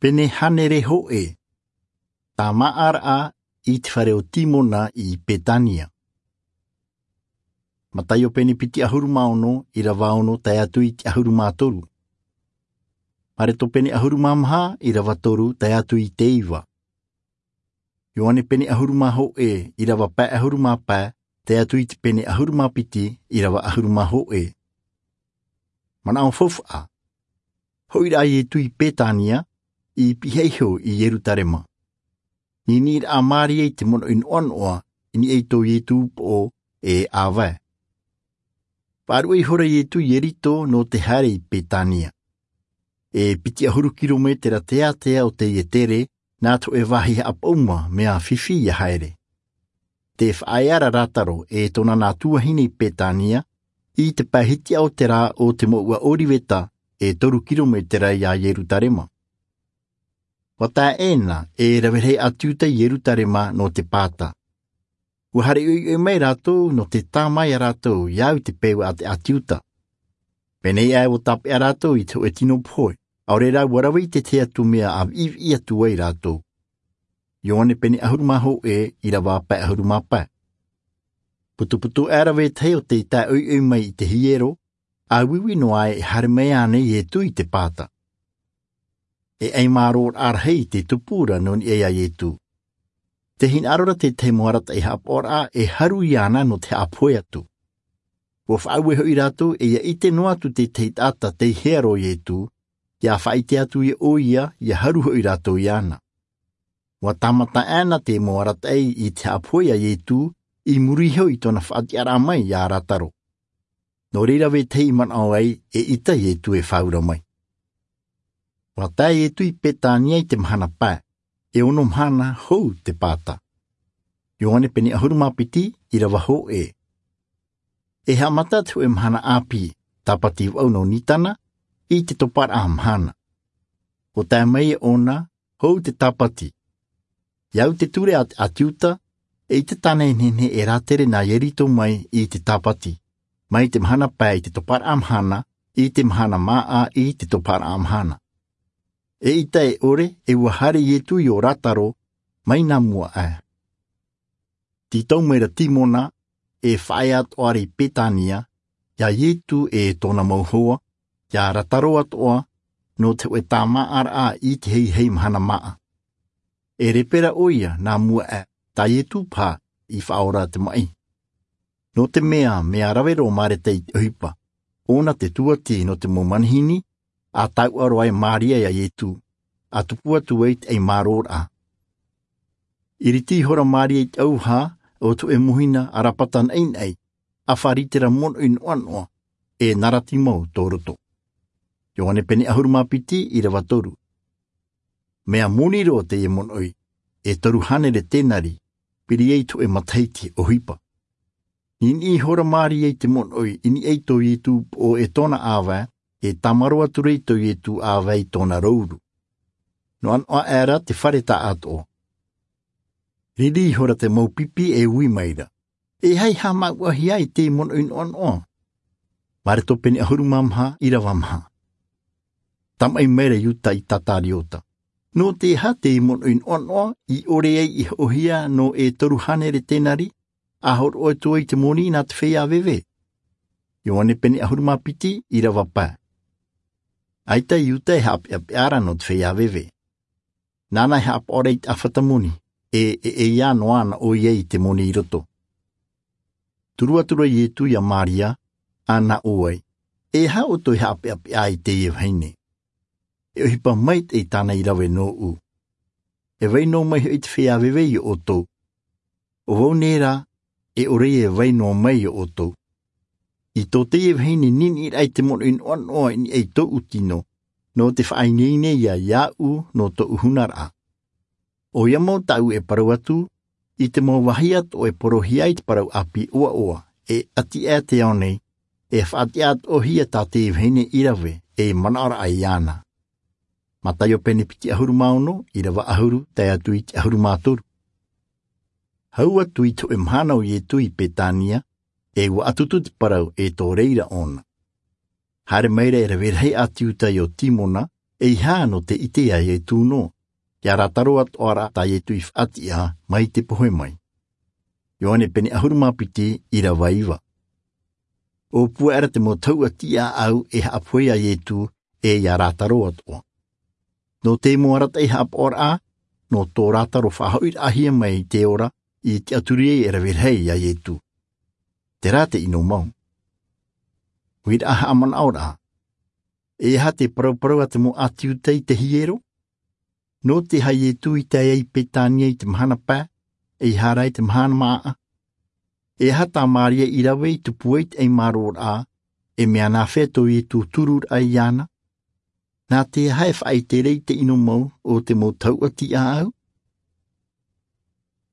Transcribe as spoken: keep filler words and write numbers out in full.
Pene hānere hōʻē. Tāmāʻaraʻa i te fare o Timona i Petania. Mataio pene piti ʻahuru mā ono, ʻīrava ono tae atu i te ʻahuru mā toru. Mareko pene ʻahuru mā maha, ʻīrava toru tae atu i te iva. Ioane pene ʻahuru mā hōʻē, ʻīrava pae ʻahuru mā pae tae atu i te pene ʻahuru mā piti, ʻīrava ʻahuru mā hōʻē. Manaʻo faufaʻa. Hoʻi rā Ietu i Petania, i pihaʻi iho i Ierutarema. Niniʻi rā Maria i te monoʻi noʻanoʻa i niʻa i tō Ietu upoʻo e ʻāvae. Faʻaruʻe ihora Ietu i Ieriko nō te haere i Petania. E piti ʻahuru kirometera teatea o teie tere, nā te hōʻē vāhi haʻapaʻuma mea fifi ia haere. Tē faʻaea ra Lasaro e tōna nā tuahine i Petania, i te pae hitiʻa o te rā o te mouʻa Oriveta, e toru kirometera ia Ierutarema. ʻUa tae ʻēna e rave rahi ʻĀti Iuta i Ierutarema nō te Pāta. ʻUa haere ʻoiʻoi mai rātou nō te tāmā ia rātou i au i te peu a te ʻĀti Iuta. Pēnei aʻe ʻua tāpeʻa rātou i te hōʻē tino pohe, ʻaore rā ʻua rave i te tahi atu mea ʻa viʻiviʻi atu ai rātou. Ioane pene ʻahuru mā hōʻē, ʻīrava pae ʻahuru mā pae. Putuputu aʻe ra vetahi o tei tae ʻoiʻoi mai i te hiero, ʻa uiui noa aʻe e haere mai ānei Ietu i te Pāta. E ʻaimārōraʻa rahi tē tupu ra nō niʻa ia Ietu. Tē hinaʻaro ra te tahi mau arataʻi haʻapaʻoraʻa e haru iāna nō te haʻapohe atu. ʻUa faʻaue hoʻi rātou e ʻia ʻite noa atu te tahi taʻata tei hea roa Ietu, ʻia faʻaʻite atu ia ʻoia, ʻia haru hoʻi rātou iāna. ʻUa tāmata ʻēna te mau arataʻi i te haʻapohe ia Ietu, i muri iho i tōna faʻatiʻaraʻa mai ia Lasaro. Nō reira vetahi i manaʻo ai e ʻita Ietu e fāura mai. ʻUa tae Ietu i Petania i te mahana pae, e ono mahana hou te Pāta. Ioane pene ʻahuru mā piti, ʻīrava hōʻē. E haʻamata te hōʻē mahana ʻāpī, tāpati vaʻu nō Nisana, i te toparaʻa mahana. ʻUa tae mai ʻōna, hou te tāpati. I au i te ture a te ʻĀti Iuta, e ʻita tāna e nehenehe e rātere nā Ieriko mai i te tāpati, mai te mahana pae i te toparaʻa mahana, i te mahana māʻa i te toparaʻa mahana. E ʻita e ʻore, e ʻua haere Ietu i ʻō Lasaro, mai nā mua aʻe. Tītau mai ra Timona, e faʻaea atoʻa ra i Petania, ia Ietu e tōna mau hoa, ia Lasaro atoʻa, nō te hōʻē tāmāʻaraʻa i te heihei mahana māʻa. E repe ra ʻoia nā mua aʻe, tā Ietu paha i faʻaora te maʻi. Nō te mea, mea rave roa Mareta i te ʻohipa, ʻōna te tūʻati nō te mau manihini, ʻa tauturu ai Maria ia Ietu, ʻa tupu atu ai te ʻaimārōraʻa. ʻIriti ihora Maria i te ʻauvaha o te hōʻē mōhina ʻarapata naʻinaʻi, ʻa faʻaʻite ra monoʻi noʻanoʻa, e narati mau tō roto. Ioane pene ʻahuru mā piti, ʻīrava toru. Mea moni roa teie monoʻi, e toru hānere tenari, piri ai te hōʻē matahiti ʻohipa. Niniʻi ihora Maria i te monoʻi i niʻa i tō Ietu upoʻo e tōna ʻāvae, e tāmaro atu ra i tō Ietu ʻāvae i tōna rouru. Noʻanoʻa aʻe ra te fare taʻatoʻa. Riri ihora te mau pipi e ui mai ra. E aha i haʻamāuʻahia ai teie monoʻi noʻanoʻa? Mareko pene ʻahuru mā maha, ʻīrava maha. Tamaʻi mai ra Iuta Isikariota. Nō te aha teie monoʻi noʻanoʻa i ʻore ai i hoʻohia nō e toru hānere tenari, ʻa hōroʻa atu ai te moni nā te feiā veve? Ioane pene ʻahuru mā piti, ʻīrava pae. ʻAita Iuta e haʻapeʻapeʻa ra nō te feiā veve. Nāna e haʻapaʻo ra i te ʻāfata moni, e, e, e ʻeiā noa ana ʻoia i te moni i roto. Turu atu ra Ietu ia Maria, ʻa nā ʻō ai, e aha ʻoutou e haʻapeʻapeʻa i teie vahine? E ʻohipa maitaʻi tāna i rave nōʻu. E vai noa mai hoʻi te feiā veve ia ʻoutou. ʻO vau nei rā, e ʻore e vai noa mai ia ʻoutou. I tō teie vahine niniʻi ra i te monoʻi noʻanoʻa i niʻa i tōʻu tino, nō te faʻaineine ia iāʻu nō tōʻu hunaraʻa. ʻOia mau tāʻu e parau atu, i te mau vāhi atoʻa e porohia ai te parau ʻāpī ʻoaʻoa, e ʻati aʻe te ao nei, e faʻatiʻa atoʻa hia tā teie vahine i rave, e manaʻo ra iāna. Mataio pene piti ʻahuru mā ono, ʻīrava ʻahuru, tae atu i te ʻahuru mā toru. Hau atu i te hōʻē mahana o Ietu i Petania, e ʻua ʻatutu te parau e tō reira ʻōna. Haere mai ra e rave rahi ʻĀti Iuta i ʻō Timona, E aha nō te ʻite a iesu nō ia rātaro atoʻa rā tā iesu i faʻatiʻa mai te pohe mai? Ioane pene ʻahuru mā piti, irava iva. ʻO pū aʻera te mau tahuʻa tiʻaʻau e haʻapohe a iesu e ia rātaro atoʻa. Nō te mau arataʻi haʻapaʻoraʻa nō tō rātaro faʻahoʻiraʻahia mai i te ora i tiʻaturi ai e rave rahi a iesu. Terā te ʻino mau. Huiraʻa haʻamanaʻoraʻa. E aha te parauparau a te mau ʻāti iuda i te hiero? Nō te aha iesu i tae ai i betania i te mahana pae, e i hara i te mahana māʻa? E aha tā maria i rave i tupu ai te ʻaimāroraʻa, e mea nāfea tō iesu tururaʻa iāna? Nā te aha e faʻaʻite ra i te ʻino mau o te mau tahuʻa tiʻaʻau?